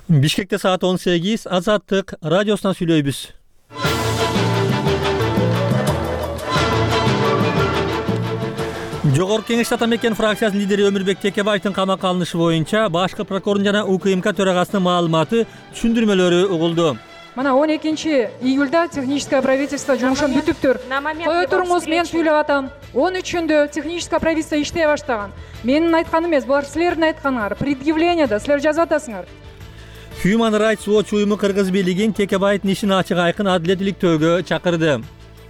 Бишкекте саат 18, Азаттык радиосунан сүйлөйбүз. Жогорку Кеңеш Атамекен фракциясынын лидери Өмүрбек Текебаевдин камакка алынышы боюнча башкы прокурордун жана УКМК төрагасынын маалыматы, түшүндүрмөлөрү угулду. Мына 12-июлда техническое правительство жумушун бүтүптүр. Кое туруңуз, мен сүйлөп атам. 13-үндө техническое правительство иштей баштаган. Менин айтканым эмес, булар силердин айтканыңар. Предъявлениеда силер жазып атасыңар. Human Rights Watch уюму кыргыз бийлигин Текебаевдин ишин ачык айкын адилет иликтөөгө чакырды.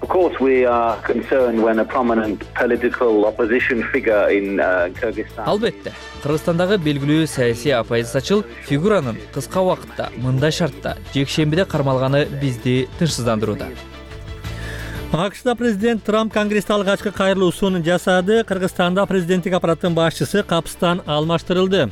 Of course, we are concerned when a prominent political opposition figure in Kyrgyzstan. Албетте, Кыргызстандагы белгилүү саясий оппозициячыл фигуранын кыска убакытта мындай шартта жекшембиде кармалганы бизди тынчсыздандырууда. АКШда президент Трамп Конгрессте алгачкы кайрылуусун жасады. Кыргызстанда президенттик аппараттын башчысы капыстан алмаштырылды.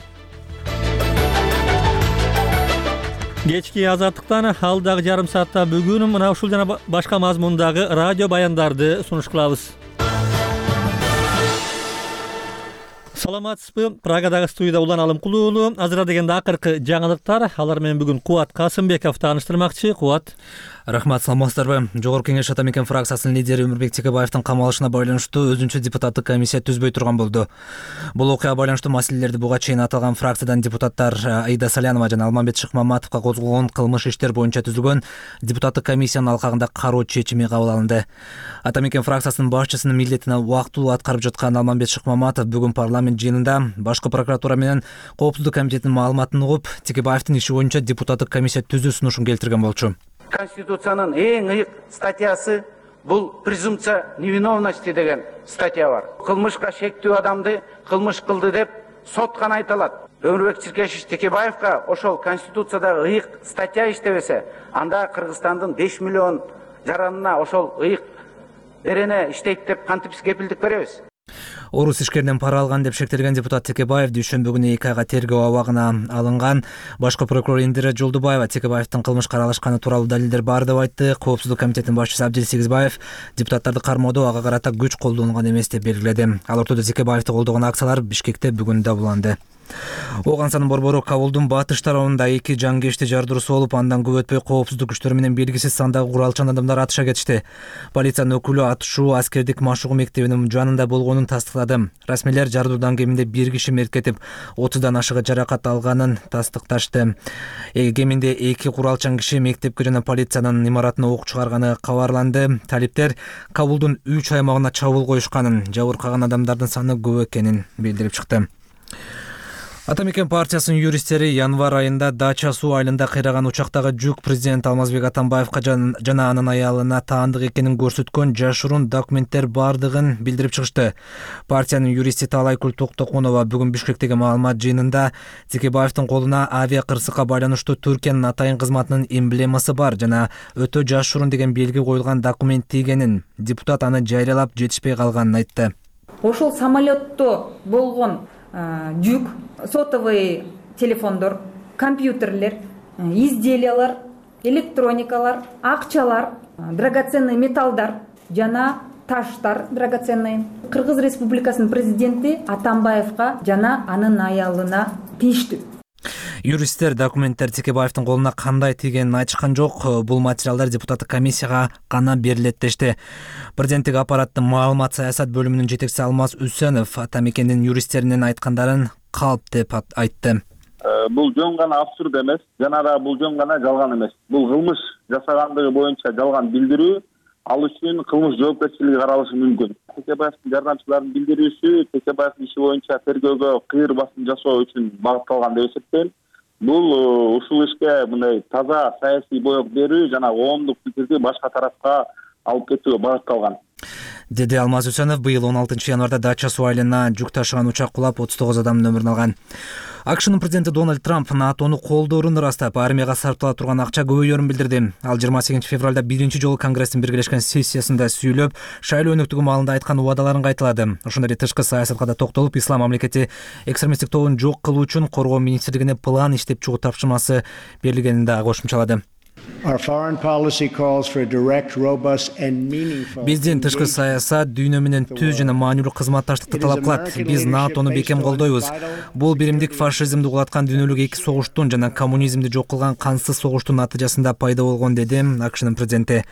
Кечки Азаттыктан алдагы жарым саатта бүгүн мына ушул жана башка мазмундагы радио баяндарды сунуш кылабыз. Саламатсызбы? Прагадагы студияда Улан Алымкулуу. Азыр дегенде акыркы жаңылыктар. Алар менен бүгүн Кубат Касымбеков тааныштырмакчы. Кубат. Рахмат, саламатсыздарбы? Жогорку Кеңеш Атамекен фракциясынын лидери Өмүрбек Текебаевдин камалышына байланыштуу өзүнчө депутаттык комиссия түзбөй турган болду. Бул окуяга байланыштуу маселелерди буга чейин аталган фракциядан депутаттар Аида Салянова жана Алмамбет Шыкмаматовго козголгон кылмыш иштер боюнча түзүлгөн депутаттык комиссиянын алкагында кароо чечими кабыл алынды. Атамекен фракциясынын башчысынын милдетин убактылуу аткарып жаткан Алмамбет Шыкмаматов бүгүн парламент жыйынында башкы прокуратура менен коопсуздук комитетинин маалыматын угуп, Текебаевдин иши боюнча депутаттык комиссия түзүү сунушун келтирген болчу. Конституциянын эң ыйык статьясы бул презумпция невиновности деген статья бар. Кылмышка шектүү адамды кылмыш кылды деп сот гана айта алат. Өмүрбек Чиркешевич Текебаевга ошол Конституцияда ыйык статья иштебесе, анда Кыргызстандын 5 миллион жаранына ошол ыйык берене иштейт деп кантип кепилдик беребиз? Орус ишкеринен пара алган деп шектелген депутат Текебаев дүйшөмбү күнү 2 айга тергөө абагына алынган. Башкы прокурор Индира Жолдубаева Текебаевдин кылмышка аралашканы тууралуу далилдер бар деп айтты. Коопсуздук комитетинин башчысы Абдил Сегизбаев депутаттарды кармоодо ага карата күч колдонулган эмес деп белгиледи. Ал ортодо Текебаевди колдогон акциялар Бишкекте бүгүн дабыланды. Огансанын борбору Кабулдун батыш тарабында 2 жангечти жардыруусу болуп, андан көп өтпөй коопсуздук күчтөрү менен белгисиз сандагы куралчан адамдар атыша кетишти. Полициянын өкүлү атышуу аскердик машыгуу мектебинин жанында болгонун тастыктады. Расмийлер жардыруудан кеминде 1 киши мерт кетип, 30дан ашыгы жаракат алганын тастыкташты. Кеминде 2 куралчан киши мектепке жана полициянын имаратына ок чыгарганы кабарланды. Талиптер Кабулдун 3 аймагына чабуул коюшканын, жабыркаган адамдардын саны көп экенин билдирип чыкты. Атамекен партиясынын юристтери январь айында Дача суу айылында кыйраган учактагы жүк президент Алмазбек Атамбаевга жана анын аялына таандык экенин көрсөткөн жашыруун документтер бардыгын билдирип чыгышты. Партиянын юристи Талайкүл Токтокунова бүгүн Бишкектеги маалымат жыйынында Текебаевдин колуна авиа кырсыкка байланыштуу Түркиянын атайын кызматынын эмблемасы бар жана өтө жашыруун деген белги коюлган документ тийгенин, депутат аны жарыялап жетишпей калганын айтты. Ошол самолетто болгон жүк, сотовый телефондор, компьютерлер, изделиялар, электроникалар, акчалар, драгоценный металлдар жана таштар драгоценный Кыргыз Республикасынын президенти Атамбаевга жана анын аялына тийиштүү. Юристтер документтер Текебаевдин колуна кандай тийгенин айтышкан жок. Бул материалдар депутаттык комиссияга гана берилет дешти. Президенттик аппараттын маалымат саясат бөлүмүнүн жетекчиси Алмаз Үсөнов Атамекендин юристтеринин айткандарын калп деп айтты. Бул жөн гана абсурд эмес, жана да бул жөн гана жалган эмес. Бул кылмыш жасагандыгы боюнча жалган билдирүү, ал үчүн кылмыш жоопкерчилиги каралышы мүмкүн. Текебаевдин жардамчыларынын билдирүүсү Текебаевдин иши боюнча тергөөгө кыйыр басым жасоо үчүн багытталган деп эсептейм. Бул ушул ишке мындай таза саясий боек берүү жана коомдук пикирди башка тарафка алып кетүүгө багытталган, деди Алмаз Үсөнов. Быйыл 16 январда Дача суу айылына жүк ташыган учак кулап 39 адамдын өмүрүн алган. АКШнын президенти Дональд Трамп НАТОну колдоорун ырастап, армияга сарптала турган акча көбөйөрүн билдирди. Ал 28 февралда биринчи жолу Конгресстин биргелешкен сессиясында сүйлөп, шайлоо өнөктүгү маалында айткан убадаларын кайталады. Ошондой эле тышкы саясатка да токтолуп, ислам мамлекети экстремисттик тобун жок кылуу үчүн коргоо министрлигине план иштеп чыгуу тапшырмасы берилгенин да кошумчалады. Биздин тышкы саясат дүйнө менен түз жана маанилүү кызматташтыкты талап кылат. Биз НАТОну бекем колдойбуз. Бул биримдик фашизмди угулаткан дүйнөлүк эки согуштун жана коммунизмди жок кылган кансыз согуштун натыйжасында пайда болгон, деди АКШнын президенти.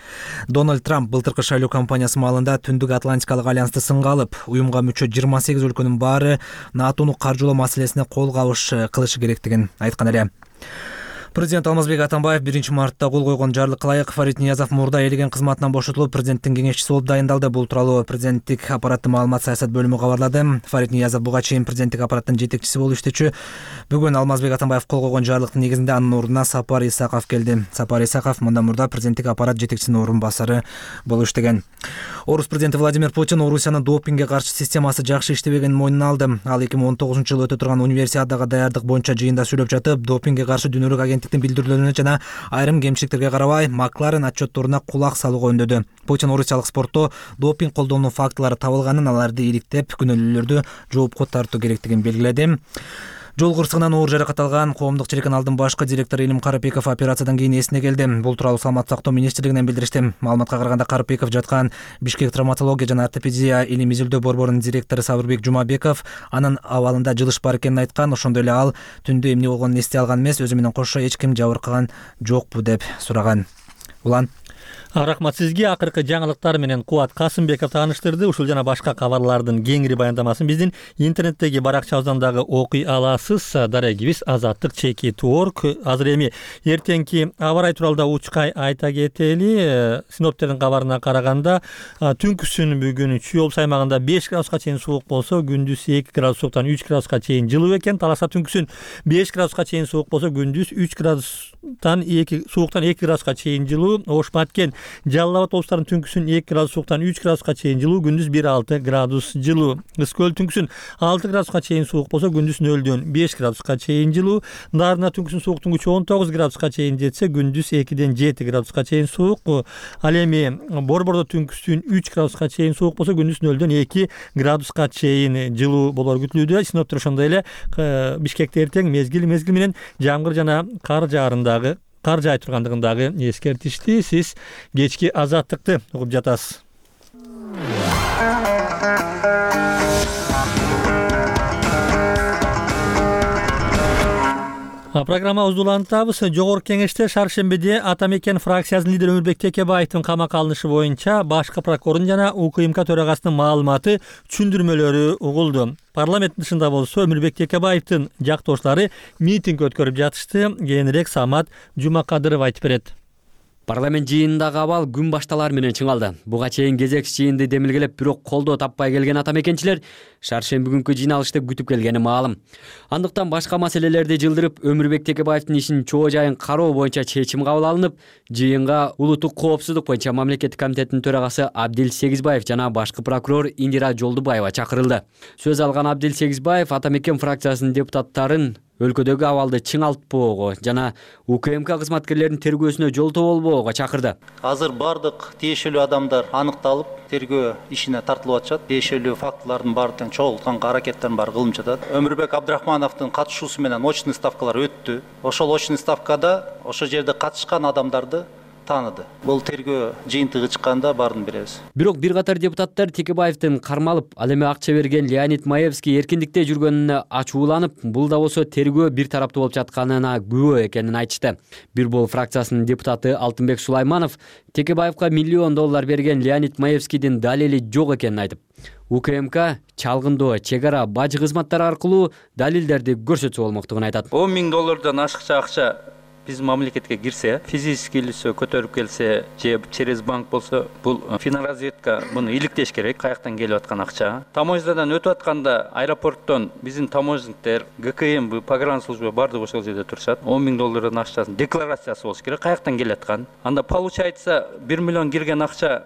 Дональд Трамп былтыркы шайлоо кампаниясы маалында Түндүк Атлантикалык альянсты сынга алып, уюмга мүчө 28 өлкөнүн баары НАТОну каржылоо маселесине кол кылышы керектигин айткан эле. Президент Алмазбек Атамбаев 1-мартта кол койгон жарлыкка ылайык Фарид Ниязов мурда ээлеген кызматынан бошотулуп, президенттин кеңешчиси болуп дайындалды. Бул тууралуу президенттик аппараттын маалымат саясат бөлүмү кабарлады. Фарид Ниязов буга чейин президенттик аппараттын жетекчиси болуп иштечү. Бүгүн Алмазбек Атамбаев кол койгон жарлыктын негизинде анын ордуна Сапар Исаков келди. Сапар Исаков мындан мурда президенттик аппарат жетекчисинин орун басары болуп иштеген. Орус президенти Владимир Путин Орусиянын допингге каршы системасы жакшы иштебегенин мойнуна алды. Ал 2019-жылы өтө турган универсиадага даярдык боюнча жыйында сүйлөп жатып, допингге каршы дүйнөлүк агенттиктин билдирүүлөрүнө жана айрым кемчиликтерге карабай Макларен отчетторуна кулак салууга үндөдү. Путин орусиялык спортто допинг колдонуу фактылары табылганын, аларды иликтеп, күнөөлүүлөрдү жоопко тартуу керектигин белгиледи. Жол кырсыгынан оор жаракат алган коомдук телеканалдын башкы директору Илим Карапеков операциядан кийин эсине келди. Бул тууралуу Саламаттык сактоо министрлигинен билдиришти. Маалыматка караганда Карапеков жаткан Бишкек травматология жана ортопедия илим изилдөө борборунун директору Сабырбек Жумабеков анын абалында жылыш бар экенин айткан. Ошондой эле ал түндө эмне болгонун эстей алган эмес, өзү менен кошо эч ким жабыркаган жокпу деп сураган. Улан Рахмат сизге. Акыркы жаңылыктар менен Кубат Касымбеков тааныштырды. Ушул жана башка кабарлардын кеңири баяндамасын биздин интернеттеги баракчабыздан дагы окуй аласыз. Дарегибиз azatlyk.org. Азыр эми эртеңки аба ырайы тууралуу да учкай айта кетели. Синоптиктердин кабарына караганда түнкүсүн бүгүн Чүй облус аймагында 5 градуска чейин суук болсо, күндүз 2 градустан 3 градуска чейин жылуу экен. Таласа түнкүсүн 5 градуска чейин суук болсо, күндүз 3 градустан 2 градуска чейин жылуу. Ош Баткен Жалал Абад облустарынын түнкүсүн 2 градус сууктан 3 градуска чейин жылуу, күндүз 1-6 градус жылуу. Ысык-Көл түнкүсүн 6 градуска чейин суук болсо, күндүз 0-дөн 5 градуска чейин жылуу. Дарына түнкүсүн сууктун күчү 19 градуска чейин жетсе, күндүз 2-ден 7 градуска чейин суук. Ал эми Борбордо түнкүсүн 3 градуска чейин суук болсо, күндүз 0-дөн 2 градуска чейин жылуу болор күтүлүүдө. Синоптиктер ошондой эле Бишкекте эртең мезгил менен жамгыр жана кар жаай тургандыгын дагы эскертишти. Сиз кечки азаттыкты угуп жатасыз. Программабызды улантабыз. Жогорку кеңеште шаршембиде Атамекен фракциясынын лидери Өмүрбек Текебаевдин камакка алынышы боюнча башкы прокурордун жана УКМК төрагасынын маалыматы түшүндүрмөлөрү угулду. Парламенттин тышында болсо Өмүрбек Текебаевдин жактоочулары митинг өткөрүп жатышты. Кийинирээк Самат Жумакадыров айтып берет. Парламент жыйынындагы абал күн башталар менен чыңалды. Буга чейин кезекчи жыйынды демилгелеп, бирок колдоо таппай келген атамекенчилер шаршемби күнкү жыйналышты күтүп келгени маалым. Андыктан башка маселелерди жылдырып, Өмүрбек Текебаевдин ишин чоо жайын кароо боюнча чечим кабыл алынып, жыйынга улуттук коопсуздук боюнча мамлекеттик комитеттин төрагасы Абдил Сегизбаев жана башкы прокурор Индира Жолдубаева чакырылды. Сөз алган Абдил Сегизбаев Атамекен фракциясынын депутаттарын өлкөдөгү абалды чыңалтпоого жана УКМК кызматкерлеринин тергөөсүнө жолтоо болбоого чакырды. Азыр бардык тиешелүү адамдар аныкталып, тергөө ишине тартылып атышат. Тиешелүү фактылардын баардыгын чогултканга аракеттерин баары кылынып жатат. Өмүрбек Абдрахмановдун катышуусу менен очный ставкалар өттү. Ошол очный ставкада ошол жерде катышкан адамдарды тааныды. Бул тергөө жыйынтыгы чыкканда баарын беребиз. Бирок бир катар депутаттар Текебаевдин кармалып, ал эми акча берген Леонид Маевский эркиндикте жүргөнүнө ачууланып, бул да болсо тергөө бир тараптуу болуп жатканына күбө экенин айтышты. Бир бул фракциясынын депутаты Алтынбек Сулайманов Текебаевга $1 миллион берген Леонид Маевскийдин далили жок экенин айтып, УКМК чалгындоо, чек ара, бажы кызматтары аркылуу далилдерди көрсөтсө болмоктугун айтат. $10 миң ашыкча акча биз мамлекетке кирсе, физический лицо көтөрүп келсе, же через банк болсо, бул финразведка муну иликтеш керек, каяктан келип аткан акча. Таможнядан өтүп атканда аэропорттон биздин таможниктер, ГКМ, погранслужба бардыгы ошол жерде турушат. $10 миң акчасын декларациясы болуш керек, каяктан келип аткан. Анда получается $1 миллион кирген акча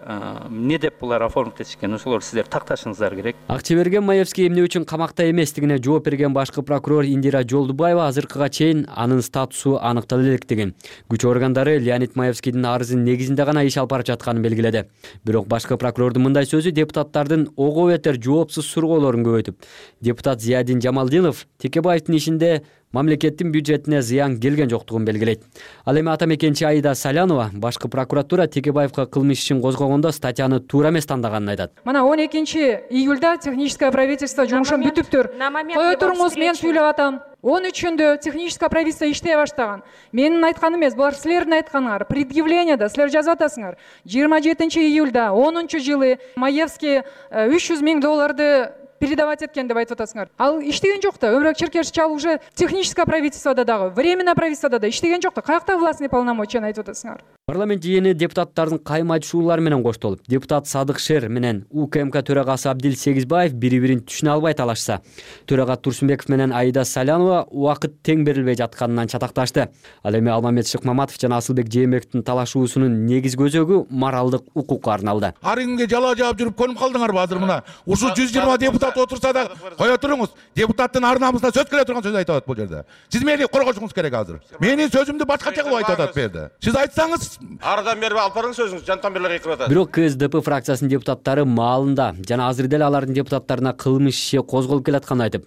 эмне деп булар оформить этишкен, ошолор сиздер такташыңыздар керек. Акча берген Маевский эмне үчүн камакта эместигине жооп берген башкы прокурор Индира Жолдубаева азыркыга чейин анын статусу аныкталды. Күч органдары Леонид Маевскийдин арызынын негизинде гана иш алып барып жатканын белгиледи. Бирок башкы прокурордун мындай сөзү депутаттардын ого бетер жоопсуз сургоолорун көбөйтүп. Депутат Зиядин Жамалдинов Текебаевдин ишинде мамлекеттин бюджетине зыян келген жоктугун белгилейт. Ал эми атамекенчи Аида Салянова башкы прокуратура Текебаевка кылмыш ишин козгогондо статьяны туура эмес тандаганын айтат. Мына 12 июльда техническое правительство жумушун бүтүптүр. Кое туруңуз, мен сүйлөп атам. 13-ндө техническое правительство иштей баштаган. Менин айтканым эмес, булар силердин айтканыңар. Предъявлениеда силер жазып атасыңар. 27 июльда 10-жылы Маевский $300 000 передавать эткен деп айтып атасыңар. Ал иштеген жок да. Өмүрбек Черкешевич ал уже техническое правительстводо дагы, временное правительстводо да иштеген жок да. Каякта властный полномочияны айтып атасыңар? Парламент жыйыны депутаттардын кайма айтышуулары менен коштолуп, депутат Садык Шер менен УКМК төрагасы Абдил Сегизбаев бири-бирин түшүнө албай талашса, төрага Турсунбеков менен Аида Салянова убакыт тең берилбей жатканынан чатакташты. Ал эми Алмамет Шыкмаматов жана Асылбек Жээнбековдун талашуусунун негизги өзөгү моралдык укукка арналды. Ар күнгө жала жаап жүрүп көнүп калдыңарбы азыр мына? Ушул 120 депутат отурса да кое туруңуз. Депутаттын ар намысына сөз келе турган сөз айтып атат бул жерде. Сиз мени коргошуңуз керек азыр. Менин сөзүмдү башкача кылып айтып атат бу жерде. Сиз айтсаңыз Ардан бери алып барыңыз сөзүңүз, жантамберлер экип атат. Бирок КСДП фракциясынын депутаттары маалында жана азыр деле алардын депутаттарына кылмыш иши козголуп келатканын айтып,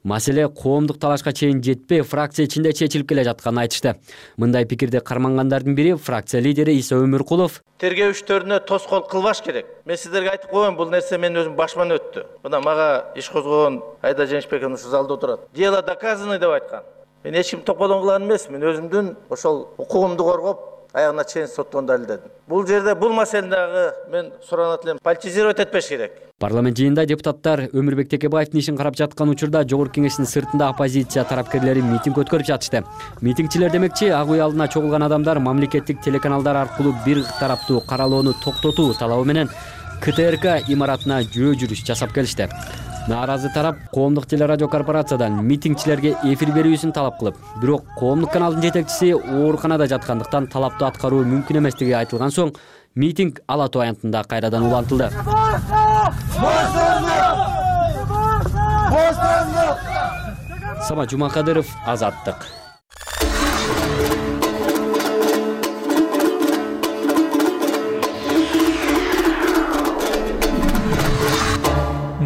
маселе коомдук талашка чейин жетпей, фракция ичинде чечилип келе жатканын айтышты. Мындай пикирди кармангандардын бири фракция лидери Иса Өмүркулов. Тергөө иштерине тоскоол кылбаш керек. Мен сиздерге айтып коеюн, бул нерсе менин өзүм башыман өттү. Мына мага иш козгогон Айда Жээнбеков ушу залда отурат. Дело доказано деп айткан. Мен эч ким топодон кылган эмес, мен өзүмдүн ошол укугумду коргоп, аягына чейин соттон далилдедим. Бул жерде бул маселени дагы мен суранат элем, политизировать этпеш керек. Парламент жыйынында депутаттар Өмүрбек Текебаевдин ишин карап жаткан учурда Жогорку Кеңештин сыртында оппозиция тарапкерлери митинг өткөрүп жатышты. Митингчилер демекчи, ак үй алдына чогулган адамдар мамлекеттик телеканалдар аркылуу бир тараптуу каралоону токтотуу талабы менен КТРК имаратына жөө жүрүш жасап келишти. Нааразы тарап коомдук телерадио корпорациядан митингчилерге эфир берүүсүн талап кылып, бирок коомдук каналдын жетекчиси ооруканада жаткандыктан талапты аткаруу мүмкүн эместиги айтылган соң, митинг ала тоо аянтында кайрадан улантылды. Самат Жумакадыров, Азаттык.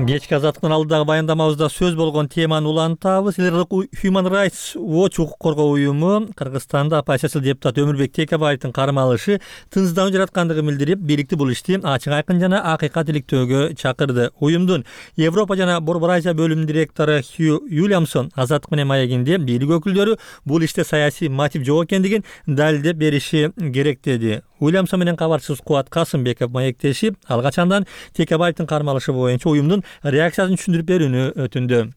Кечки Азаттыктын алдыдагы баяндамабызда сөз болгон теманы улантабыз. Human Rights Watch укук коргоо уюму Кыргызстанда оппозициялык депутат Өмүрбек Текебаевдин кармалышы тынчсыздануу жараткандыгын билдирип, бийликти бул ишти ачык айкын жана акыйкат иликтөөгө чакырды. Уюмдун Европа жана Борбор Азия бөлүмүнүн директору Хью Уильямсон Азаттык менен маегинде бийлик өкүлдөрү бул иште саясий мотив жок экендигин далилдеп бериши керек деди. Уильямсон менен кабарчыбыз Кубат Касымбеков маектешип, алгачандан Текебаевдин кармалышы боюнча уюмдун реакциясын түшүндүрүп берүүнү өтүндү.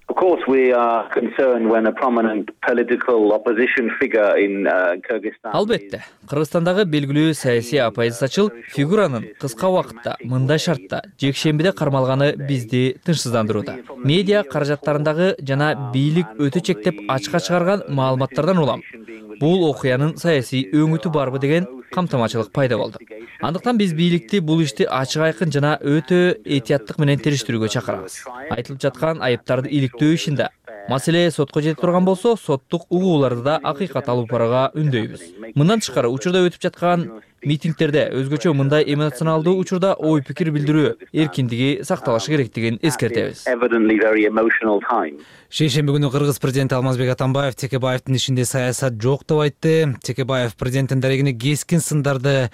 Of course, we are concerned when a prominent political opposition figure in Kyrgyzstan. Албетте, Кыргызстандагы белгилүү саясий оппозициячыл фигуранын кыска убакытта мындай шартта жекшембиде кармалганы бизди тынчсыздандырууда. Медиа каражаттарындагы жана бийлик өтө чектеп ачыкка чыгарган маалыматтардан улам бул окуянын саясий өңүтү барбы деген камтамачылык пайда болду. Андыктан биз бийликти бул ишти ачык айкын жана өтө этияттык менен териштирүүгө чакырабыз. Айтылып жаткан айыптарды иликтөө ишинде маселе сотко жете турган болсо, соттук угууларды да акыйкат алып барууга үндөйбүз. Мындан тышкары учурда өтүп жаткан митингтерде өзгөчө мындай эмоционалдуу учурда ой пикир билдирүү эркиндиги сакталышы керектигин эскертебиз. Шейшемби күнү Кыргыз президенти Алмазбек Атамбаев Текебаевдин ишинде саясат жок деп айтты. Текебаев президенттин дарегине кескин сындарды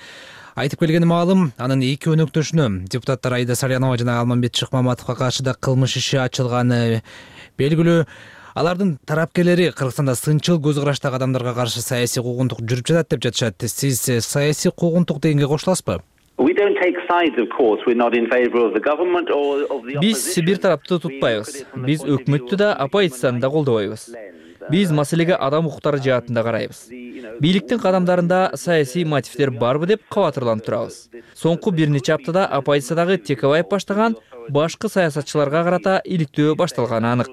айтып келгени маалым. Анын эки өнөктөшүнө депутаттар Аида Салянова жана Алмамет Шыкмаматовго каршы да кылмыш иши ачылганы белгилүү. Алардын тарапкерлери Кыргызстанда сынчыл көз караштагы адамдарга каршы саясий куугунтук жүрүп жатат деп жатышат. Сиз саясий куугунтук дегенге кошуласызбы? Биз бир тарапты тутпайбыз. Биз өкмөттү да, оппозицияны да колдобойбуз. Биз маселеге адам укуктары жаатында карайбыз. Бийликтин кадамдарында саясий мотивдер барбы деп кабатырланып турабыз. Соңку бир нече аптада оппозициядагы Текебаев баштаган башкы саясатчыларга карата иликтөө башталганы анык.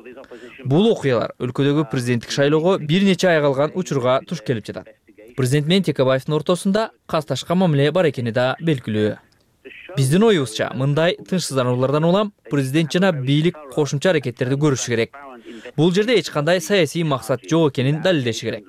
Бул окуялар өлкөдөгү президенттик шайлоого бир нече ай калган учурга туш келип жатат. Президент менен Текебаевдин ортосунда касташка мамиле бар экени да белгилүү. Биздин оюбузча, мындай тынчсыздануулардан улам президент жана бийлик кошумча аракеттерди көрүшү керек. Бул жерде эч кандай саясий максат жок экенин далилдеши керек.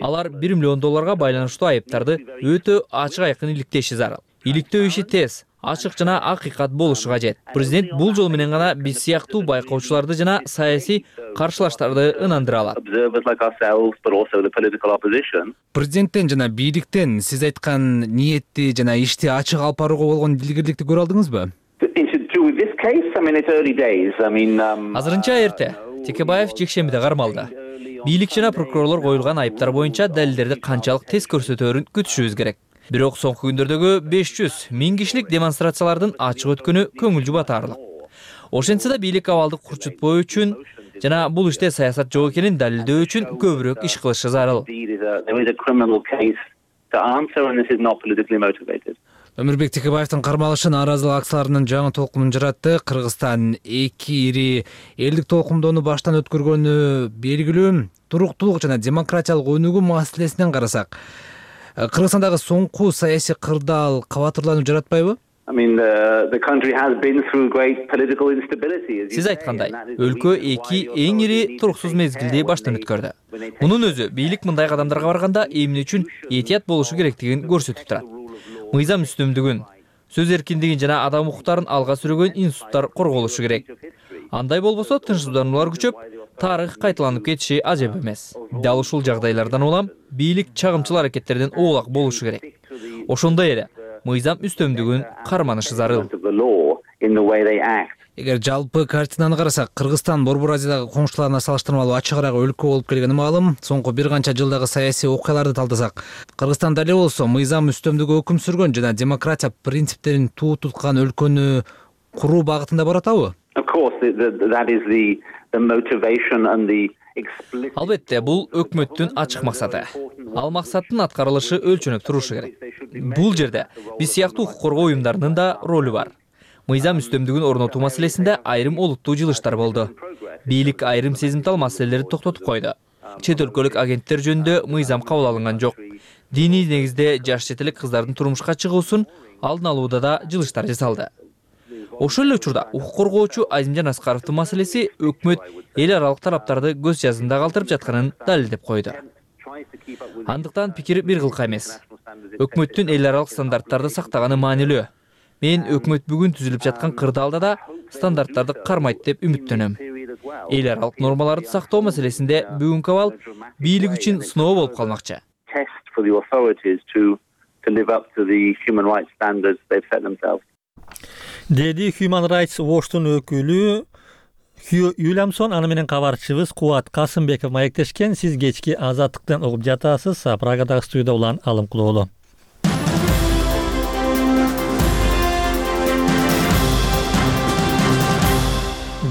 Алар $1 миллион байланыштуу айыптарды өтө ачык айкын иликтеши зарыл. Иликтөө иши тез, ачык жана акыйкат болушу кажет. Президент бул жол менен гана биз сыяктуу байкоочуларды жана саясий каршылаштарды ынандыра алат. Президенттен жана бийликтен сиз айткан ниетти жана ишти ачык алып барууга болгон дилгирликти көрө алдыңызбы? Азырынча эрте. Текебаев жекшембиде кармалды. Бийлик жана прокурорлор коюлган айыптар боюнча далилдерди канчалык тез көрсөтөөрүн күтүшүбүз керек. Бирок соңку күндөрдөгү 500-1000 кишилик демонстрациялардын ачык өткөнү көңүл жубатарлык. Ошентсе да бийлик абалды курчутпоо үчүн жана бул иште саясат жок экенин далилдөө үчүн көбүрөөк иш кылышы зарыл. Өмүрбек Текебаевдин кармалышы нааразылык акцияларынын жаңы толкунун жаратты. Кыргызстан 2 ири элдик толкундоону баштан өткөргөнү белгилүү. Туруктуулук жана демократиялык өнүгүү маселесинен карасак, Кыргызстандагы соңку саясий кырдаал кабатырлануу жаратпайбы? Сиз айткандай, өлкө 2 эң ири туруксуз мезгилди баштан өткөрдү. Мунун өзү бийлик мындай кадамдарга барганда эмне үчүн этият болушу керектигин көрсөтүп турат. Мыйзам үстөмдүгүн, сөз эркиндигин жана адам укуктарын алга сүргөн институттар корголушу керек. Андай болбосо тынчсыздануулар күчөп, тарых кайталанып кетиши ажеп эмес. Дал ушул жагдайлардан улам бийлик чагымчыл аракеттерден оолак болушу керек. Ошондой эле мыйзам үстөмдүгүн карманышы зарыл. Эгер жалпы картинаны карасак, Кыргызстан Борбор Азиядагы коңшуларына салыштырмалуу ачыгыраак өлкө болуп келгени маалым. Соңку бир канча жылдагы саясий окуяларды талдасак, Кыргызстан дале болсо мыйзам үстөмдүгү өкүм сүргөн жана демократия принциптерин туу туткан өлкөнү куруу багытында баратабы? Албетте, бул өкмөттүн ачык максаты. Ал максаттын аткарылышы өлчөнөп турушу керек. Бул жерде биз сыяктуу укук коргоо уюмдарынын да ролу бар. Мыйзам үстөмдүгүн орнотуу маселесинде айрым олуттуу жылыштар болду. Бийлик айрым сезимтал маселелерди токтотуп койду. Чет өлкөлүк агенттер жөнүндө мыйзам кабыл алынган жок. Диний негизде жаш чет элек кыздардын турмушка чыгуусун алдын алууда да жылыштар жасалды. Ошол эле учурда укук коргоочу Азимжан Аскаровдун маселеси өкмөт эл аралык тараптарды көз жазында калтырып жатканын далилдеп койду. Андыктан пикир бир кылка эмес. Өкмөттүн эл аралык стандарттарды сактаганы маанилүү. Мен өкмөт бүгүн түзүлүп жаткан кырдаалда да стандарттарды кармайт деп үмүттөнөм. Эл аралык нормаларды сактоо маселесинде бүгүнкү абал бийлик үчүн сыноо болуп калмакчы. Деди Human Rights Watchtун өкүлү Хью Уильямсон. Аны менен кабарчыбыз Кубат Касымбеков маектешкен. Сиз кечки Азаттыктан угуп жатасыз. Прагадагы студияда улан Алым Кулоолу.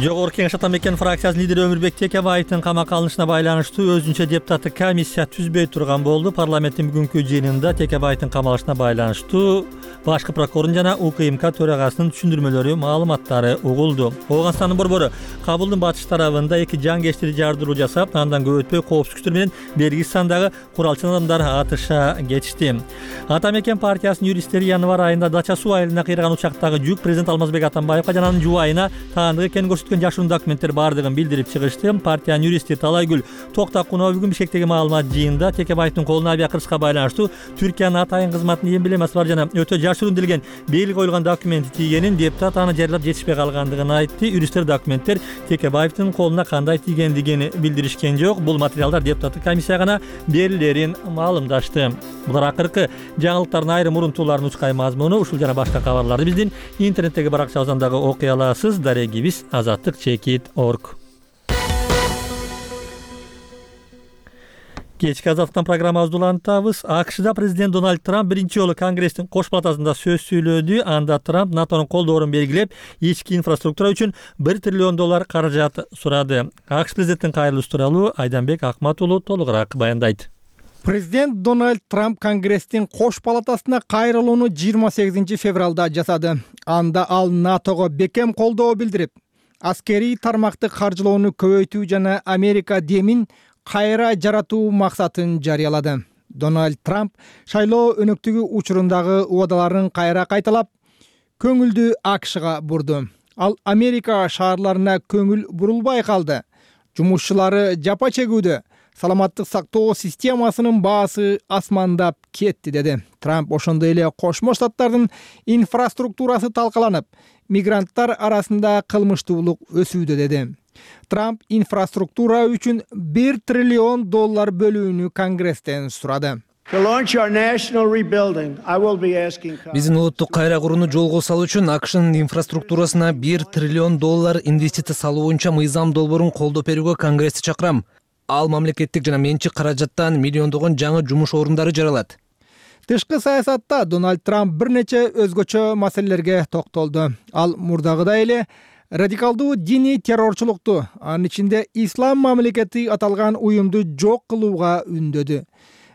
Жогорку Кеңеш Атамекен фракциясынын лидери Өмүрбек Текебаевдин камакка алынышына байланыштуу өзүнчө депутаттык комиссия түзбөй турган болду. Парламенттин бүгүнкү жыйынында Текебаевдин камалышына байланыштуу башкы прокурордун жана УКМК төрагасынын түшүндүрмөлөрү, маалыматтары угулду. Ооганстандын борбору Кабулдун батыш тарабында 2 жангечтери жардыруу жасап, андан көп өтпөй коопсуз күчтөр менен бергиз сандагы куралчан адамдар атыша кетишти. Атамекен партиясынын юристтери январь айында Дача суу айылына кыйраган учактагы жүк президент Алмазбек Атамбаевга жана анын жубайына таандык экенин көрсөткөн жашыруун документтер бардыгын билдирип чыгышты. Партиянын юристи Талайгүл Токтакунова бүгүн Бишкектеги маалымат жыйынында Текебаевдин колуна авиакыргычка байланыштуу Түркиянын атайын кызматынын эмблемасы бар жана өтө жашыруун делген белги коюлган документи тийгенин, депутат аны жарыялап жетишпей калгандыгын айтты. Юристтер документтер Текебаевдин колуна кандай тийгендигин билдиришкен жок. Бул материалдар депутаттык комиссияга гана берилерин маалымдашты. Булар акыркы жаңылыктардын айрым урунтууларын учкай мазмуну. Ушул жана башка кабарларды биздин интернеттеги баракчабыздан дагы окуй аласыз. Дарегибиз azattik.org. Кечки Азаттыктан программабызды улантабыз. АКШда президент Дональд Трамп биринчи жолу Конгресстин кош палатасында сөз сүйлөдү. Анда Трамп НАТОнун колдоорун белгилеп, ички инфраструктура үчүн $1 триллион каражат сурады. АКШ президенттин кайрылышы тууралуу Айданбек Акмат уулу толугураак баяндайт. Президент Дональд Трамп Конгресстин кош палатасына кайрылууну 28 февралда жасады. Анда ал НАТОго бекем колдоо билдирип, аскерий тармакты каржылоону көбөйтүү жана Америка демин кайра жаратуу максатын жарыялады. Дональд Трамп шайлоо өнөктүгү учурундагы убадаларын кайра кайталап, көңүлдү АКШга бурду. Ал Америка шаарларына көңүл бурулбай калды. Жумушчулары жапа чегүүдө, саламаттык сактоо системасынын баасы асмандап кетти деди. Трамп ошондой эле Кошмо Штаттардын инфраструктурасы талкаланып, мигранттар арасында кылмыштуулук өсүүдө деди. Трамп инфраструктура үчүн $1 триллион бөлүүнү Конгресстен сурады. Биздин улуттук кайра курууну жолго салуу үчүн АКШнын инфраструктурасына $1 триллион инвестиция салуу боюнча мыйзам долбоорун колдоп берүүгө Конгрессти чакырам. Ал мамлекеттик жана менчик каражаттан миллиондогон жаңы жумуш орундары жаралат. Тышкы саясатта Дональд Трамп бир нече өзгөчө маселелерге токтолду. Ал мурдагыдай эле радикалдуу диний террорчулукту, анын ичинде ислам мамлекети аталган уюмду жок кылууга үндөдү.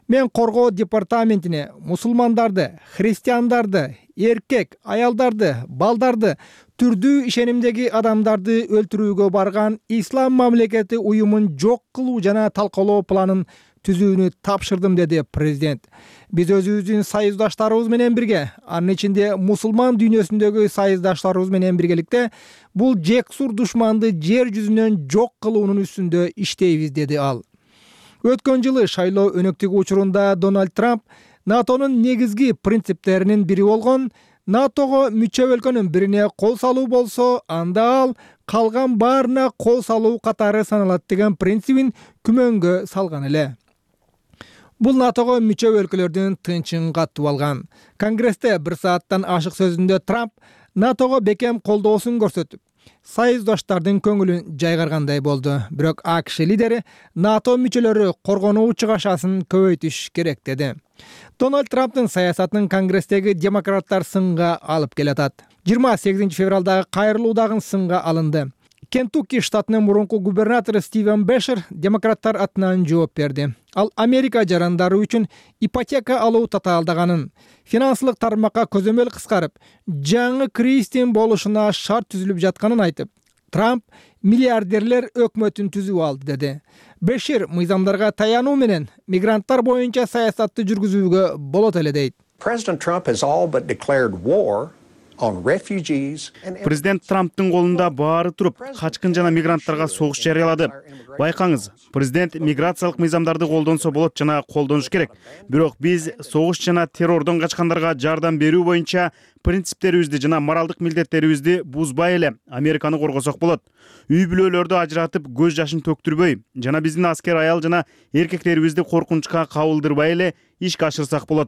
Мен коргоо департаментине мусулмандарды, христиандарды, эркек, аялдарды, балдарды, түрдүү ишенимдеги адамдарды өлтүрүүгө барган ислам мамлекети уюмун жок кылуу жана талкалоо планын түзүүнү тапшырдым, деди президент. Биз өзүбүздүн союздаштарыбыз менен бирге, анын ичинде мусулман дүйнөсүндөгү союздаштарыбыз менен биргеликте бул жексур душманды жер жүзүнөн жок кылуунун үстүндө иштейбиз, деди ал. Өткөн жылы шайлоо өнөктүгү учурунда Дональд Трамп НАТОнун негизги принциптеринин бири болгон НАТОго мүчө өлкөнүн бирине кол салуу болсо, анда ал калган баарына кол салуу катары саналат деген принцибин күмөнгө салган эле. Бул НАТОго мүчө өлкөлөрдүн тынчын катып алган. Конгрессте 1 сааттан ашык сөзүндө Трамп НАТОго бекем колдоосун көрсөтүп, союздаштардын көңүлүн жайгаргандай болду. Бирок АКШ лидери НАТО мүчөлөрү коргонуу чыгашасын көбөйтүш керек, деди. Дональд Трамптын саясатын Конгресстеги демократтар сынга алып келатат. 28 февралдагы кайрылуу дагы сынга алынды. Кентукки штатынын мурунку губернатору Стивен Бешер демократтар атынан жооп берди. Ал Америка жарандары үчүн ипотека алуу татаалдаганын, финансылык тармакка көзөмөл кыскарып, жаңы кризистин болушуна шарт түзүлүп жатканын айтып, Трамп миллиардерлер өкмөтүн түзүп алды, деди. Бешер мыйзамдарга таянуу менен мигранттар боюнча саясатты жүргүзүүгө болот эле, дейт. Президент Трамптын колунда баары туруп, качкын жана мигранттарга согуш жарыялады. Байкаңыз, президент миграциялык мыйзамдарды колдонсо болот жана колдонуш керек. Бирок биз согуш жана террордон качкандарга жардам берүү боюнча принциптерибизди жана моралдык милдеттерибизди бузбай эле Американы коргосок болот. Үй бүлөлөрдү ажыратып, көз жашын төктүрбөй жана биздин аскер аял жана эркектерибизди коркунучка кабылдырбай эле ишке ашырсак болот.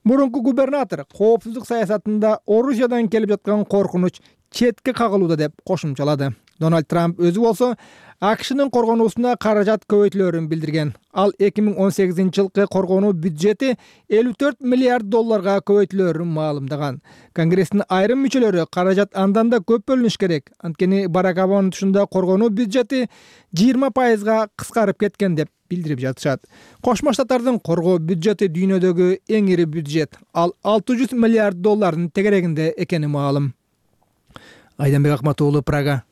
Мурунку губернатор коопсуздук саясатында Орусиядан келип жаткан коркунуч четке кагылууда деп кошумчалады. Дональд Трамп өзү болсо АКШнын коргонуусуна каражат көбөйтүлөрүн билдирген. Ал 2018 жылкы коргонуу бюджети $54 миллиард көбөйтүлөрүн маалымдаган. Конгресстин айрым мүчөлөрү каражат андан да көп бөлүнүш керек. Анткени Барак Обаманын тушунда коргонуу бюджети 20% кыскарып кеткен деп билдирип жатышат. Кошмо Штаттардын коргоо бюджети дүйнөдөгү эң ири бюджет. Ал $600 миллиард тегерегинде экени маалым. Айданбек Акмат уулу, Прага.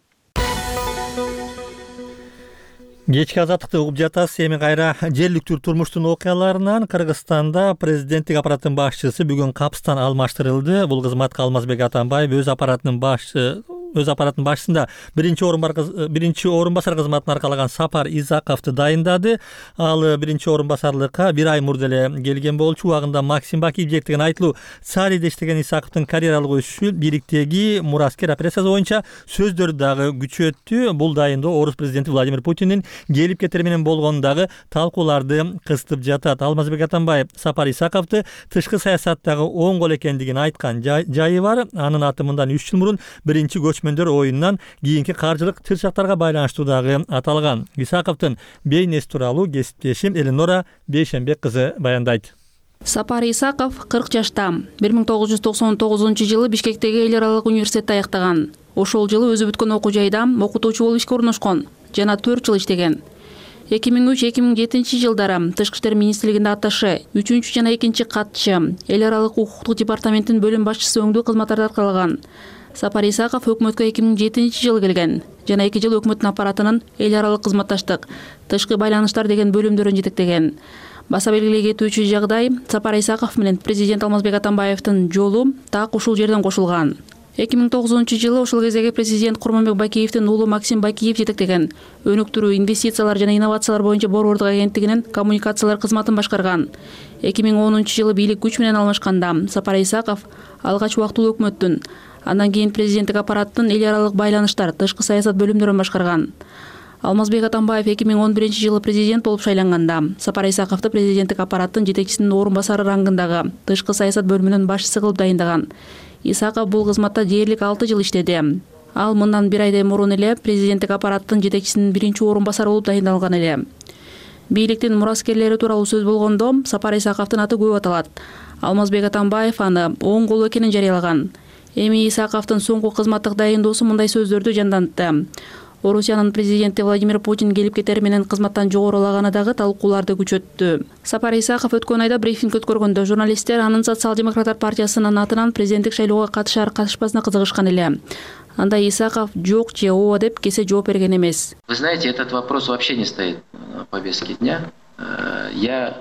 Кечки азаттыкты угуп жатасыз. Эми кайра жергиликтүү турмуштун окуяларынан. Кыргызстанда президенттик аппараттын башчысы бүгүн капстан алмаштырылды. Бул кызматка Алмазбек Атамбаев өз аппараттын башчысында биринчи орун басар кызматын аркалаган Сапар Исаковду дайындады. Ал биринчи орун басарлыкка 1 ай мурда эле келген болчу. Убагында Максим Бакиев деген айтылуу Цариде иштеген Исаковдун карьералык өсүшү бириктеги мураскер операциясы боюнча сөздөрү дагы күчөттү. Бул дайындоо Орус президенти Владимир Путиндин келип кетери менен болгон дагы талкууларды кыстып жатат. Алмазбек Атамбаев Сапар Исаковду тышкы саясаттагы оң кол экендигин айткан жайы бар. Анын аты мындан 3 жыл мурун биринчи көчмөндөр оюнунан кийинки каржылык тырчактарга байланыштуу дагы аталган. Исаковдун бейнеси тууралуу кесиптешим Эленора Бейшенбек кызы баяндайт. Сапар Исаков 40 жашта. 1999-жылы Бишкектеги эл аралык университетти аяктаган. Ошол жылы өзү бүткөн окуу жайда окутуучу болуп ишке орношкон жана 4 жыл иштеген. 2003-2007 жылдары Тышкы иштер министрлигинде атташы, 3 жана 2 катчы, эл аралык укуктук департаментинин бөлүм башчысы өңдүү кызматтарды аткарган. Сапар Исаков өкмөткө 2007 жылы келген жана 2 жыл өкмөттүн аппаратынын эл аралык кызматташтык, тышкы байланыштар деген бөлүмдөрүн жетектеген. Баса белгилей кетүүчү жагдай, Сапар Исаков менен президент Алмазбек Атамбаевдин жолу так ушул жерден кошулган. 2009-жылы ошол кездеги президент Курманбек Бакиевдин уулу Максим Бакиев жетектеген өнүктүрүү, инвестициялар жана инновациялар боюнча Борбордук агенттигинин коммуникациялар кызматын башкарган. 2010-жылы бийлик күч менен алмашканда Сапар Исаков алгач убактылуу өкмөттүн, андан кийин президенттик аппараттын эл аралык байланыштар, тышкы саясат бөлүмдөрүн башкарган. Алмазбек Атамбаев 2011-жылы президент болуп шайланганда Сапар Исаковду президенттик аппараттын жетекчисинин орун басары рангындагы тышкы саясат бөлүмүнүн башчысы кылып дайындаган. Исаков бул кызматта дээрлик 6 жыл иштеди. Ал мындан 1 айдай мурун эле президенттик аппараттын жетекчисинин биринчи орун басары болуп дайындалган эле. Бийликтин мураскерлери тууралуу сөз болгондо Сапар Исаковдун аты көп аталат. Алмазбек Атамбаев аны оң кол экенин жарыялаган. Эми Исаковдун соңку кызматтык дайындоосу мындай сөздөрдү жандантты. Орусиянын президенти Владимир Путин келип кетери менен кызматтан жогорулаганы дагы талкууларды күчөттү. Сапар Исаков өткөн айда брифинг өткөргөндө журналисттер анын Социал-демократтар партиясынын атынан президенттик шайлоого катышар-катышпасына кызыгышкан эле. Анда Исаков жок же ооба деп кесе жооп берген эмес. Вы знаете, этот вопрос вообще не стоит на повестке дня. Я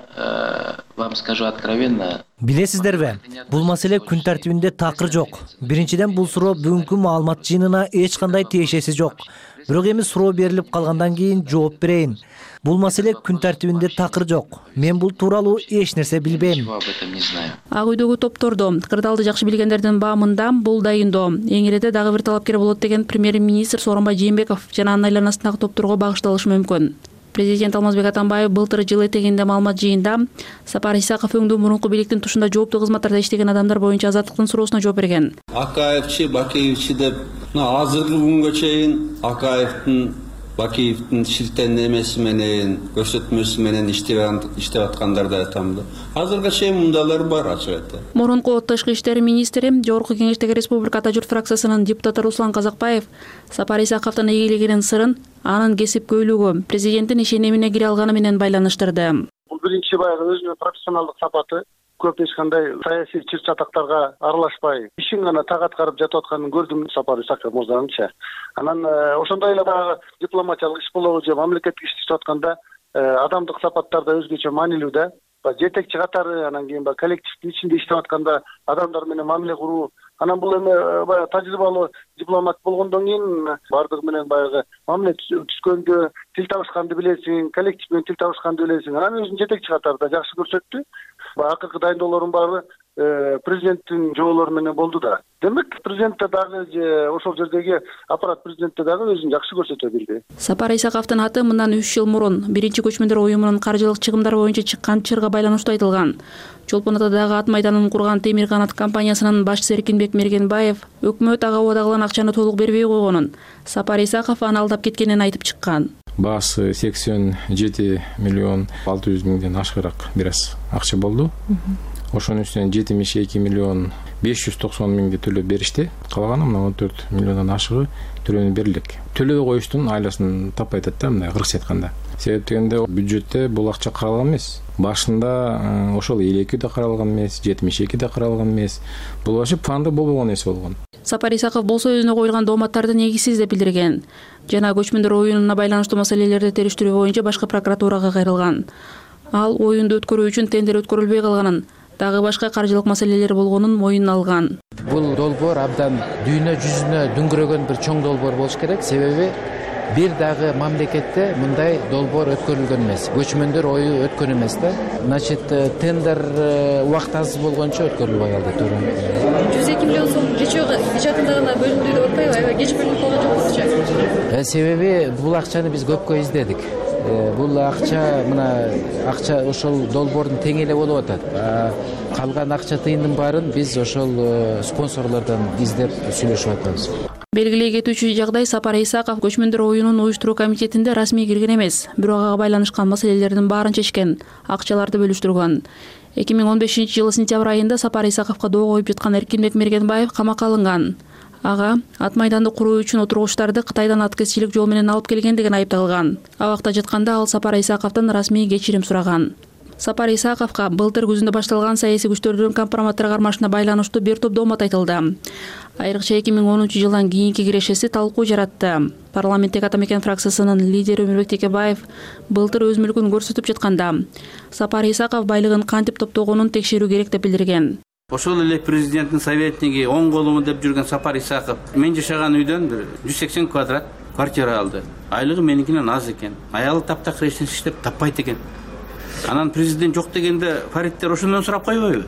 вам скажу откровенно. Билесиздерби, бул маселе күн тартибинде такыр жок. Биринчиден бул суроо бүгүнкү маалымат жыйынына эч кандай тиешеси жок. Бирок эми суроо берилип калгандан кийин жооп берейин. Бул маселе күн тартибинде такыр жок. Мен бул тууралуу эч нерсе билбейм. Ак үйдөгү топтордо кырдаалды жакшы билгендердин баамында бул дайындоо эң иреде дагы бир талапкер болот деген премьер-министр Сооронбай Жээнбеков жана анын айланасындагы топторго багышталышы мүмкүн. Президент Алмазбек Атамбаев былтыр жыл этегинде маалымат жыйында Сапар Исаков өңдүү мурунку бийликтин тушунда жооптуу кызматтарда иштеген адамдар боюнча азаттыктын суроосуна жооп берген. Акаевчи, Бакиевчи деп азыркы күнгө чейин Акаевдин, Бакиевдин ширтендемеси менен, көрсөтмөсү менен иштеп аткандар да айтам да. Азыркыга чейин мындайлар бар, ачык айтты. Мурунку тышкы иштер министри, Жогорку Кеңештеги Республика Ата журт фракциясынын депутаты Руслан Казакбаев Сапар Исаковдун ийгилигинин сырын анын кесипкөйлүгү, президенттин ишенимине кире алганы менен байланыштырды. Бул биринчи баягы өзүнүн профессионалдык сапаты. Көп эч кандай саясий чыр-чатактарга аралашпай, ишин гана так аткарып жатып атканын көрдүм Сапар Исаков мырзаныңча. Анан ошондой эле баягы дипломатиялык иш болобу же мамлекеттик иш иштеп атканда адамдык сапаттарда өзгөчө маанилүү да. Жетекчи катары, анан кийин коллективдин ичинде иштеп атканда адамдар менен мамиле куруу. Анан бул эми баягы тажрыйбалуу дипломат болгондон кийин бардыгы менен баягы мамиле түзгөндө тил табышканды билесиң, коллектив менен тил табышканды билесиң. Анан өзүн жетекчи катарда жакшы көрсөттү. Акыркы дайындоолордун баары президенттин жоолору менен болду да. Демек, президентте дагы же ошол жердеги аппарат президентте дагы өзүн жакшы көрсөтө билди. Сапар Исаковдун аты мындан 3 жыл мурун биринчи көчмөндөр уюмунун каржылык чыгымдары боюнча чыккан чырга байланыштуу айтылган. Чолпон Атадагы ат майданын курган Темир канат компаниясынын башчысы Эркинбек Мергенбаев өкмөт ага убадагылан акчаны толук бербей койгонун, Сапар Исаков аны алдап кеткенин айтып чыккан. Баасы 87 миллион 600 миңден ашыгыраак бир аз акча болду. Ошонун үстүнөн 72 миллион 590 миңди төлөп беришти. Калганы мына 14 миллиондон ашыгы төлөнүп берилек. Төлөбөй коюштун айласын таппай атат да, мындай кыргызча айтканда. Себеп дегенде бюджетте бул акча каралган эмес. Башында ошол 52 да каралган эмес, 72 да каралган эмес. Бул вообще планда болбогон нерсе болгон. Сапар Исаков болсо өзүнө коюлган дооматтарды негизсиз деп билдирген. Жана көчмөндөр оюнуна байланыштуу маселелерди териштирүү боюнча башкы прокуратурага кайрылган. Ал оюнду өткөрүү үчүн тендер өткөрүлбөй калганын, дагы башка каржылык маселелер болгонун моюнуна алган. Бул долбоор абдан дүйнө жүзүнө дүңгүрөгөн бир чоң долбоор болуш керек. Себеби бир дагы мамлекетте мындай долбоор өткөрүлгөн эмес. Көчмөндөр ою өткөн эмес да. Значит, тендер убакыт аз болгончо өткөрүлбөй калды, туура. 102 миллион сом бюджетинде гана бөлүндү деп атпайбы? Аябай кеч бөлүнүп калган жокпузчу? Себеби бул акчаны биз көпкө издедик. Бул акча, мына акча ошол долбоордун тең эле болуп атат. Калган акча тыйындын баарын биз ошол спонсорлордон издеп сүйлөшүп атканбыз. Белгилей кетүүчү жагдай, Сапар Исаков көчмөндөр оюнун уюштуруу комитетинде расмий кирген эмес, бирок ага байланышкан маселелердин баарын чечкен, акчаларды бөлүштүргөн. 2015-жылы сентябрь айында Сапар Исаковго доо коюп жаткан Эркинбек Мергенбаев камакка алынган. Ага ат майданды куруу үчүн отургучтарды Кытайдан аткезчилик жол менен алып келген деген айыпталган. Абакта жатканда ал Сапар Исаковдон расмий кечирим сураган. Сапар Исаковго былтыр күзүндө башталган саясий күчтөрдүн компроматтар кармашына байланыштуу бир топ доомат айтылды. Айрыкча 2010-жылдан кийинки кирешеси талкуу жаратты. Парламенттеги Ата мекен фракциясынын лидери Өмүрбек Текебаев былтыр өз мүлкүн көрсөтүп жатканда Сапар Исаков байлыгын кантип топтогонун текшерүү керек деп билдирген. Ошол эле президенттин советниги оң колуму деп жүргөн Сапар Исаков мен жашаган үйдөн бир 180 квадрат квартира алды. Айлыгы меникинен аз экен. Аялы таптак иштеп иштеп таппайт экен. Анан президент жок дегенде Фариттер ошондон сурап койбойбу?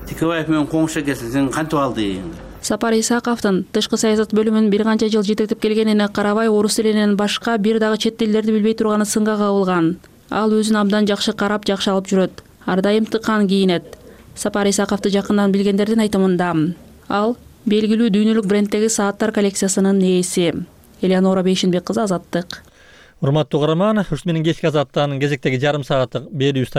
Текебаев менен коңшу келсин, сен кантип алдың? Сапар Исаковдун тышкы саясат бөлүмүн бир канча жыл жетектеп келгенине карабай, орус тилинен башка бир дагы чет тилдерди билбей турганы сынга кабылган. Ал өзүн абдан жакшы карап, жакшы алып жүрөт. Ар дайым тыккан кийинет. Сапар Исаковду жакындан билгендердин айтымында ал белгилүү дүйнөлүк бренддеги сааттар коллекциясынын ээси. Элеонора Бейшинбек кызы, Азаттык. Урматтуу угарман, ушул менен кечки Азаттын кезектеги жарым сааттык берүүбүз